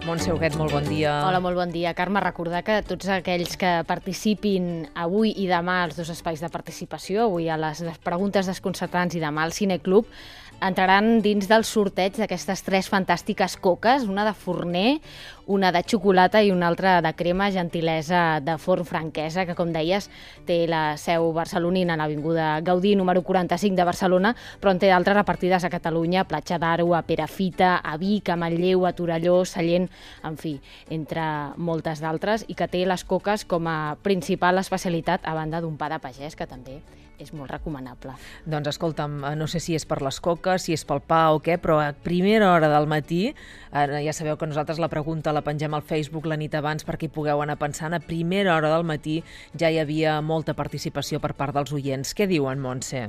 Montse Huguet, molt bon dia. Hola, molt bon dia. Carme, recordar que tots aquells que participin avui i demà als dos espais de participació, avui a les preguntes desconcertants i demà al Cineclub, entraran dins del sorteig d'aquestes 3 fantàstiques coques, una de forner, una de xocolata i una altra de crema, gentilesa de Forn Franquesa, que, com deies, té la seu barcelonina a l'Avinguda Gaudí, número 45 de Barcelona, però en té d'altres repartides a Catalunya, a Platja d'Aro, a Perafita, a Vic, a Manlleu, a Torelló, Sallent, en fi, entre moltes d'altres, i que té les coques com a principal especialitat, a banda d'un pa de pagès, que també és molt recomanable. Doncs escolta'm, no sé si és per les coques, si és pel pa o què, però a primera hora del matí, ja sabeu que nosaltres la pregunta la pengem al Facebook la nit abans perquè hi pugueu anar pensant, a primera hora del matí ja hi havia molta participació per part dels oients. Què diuen, Montse?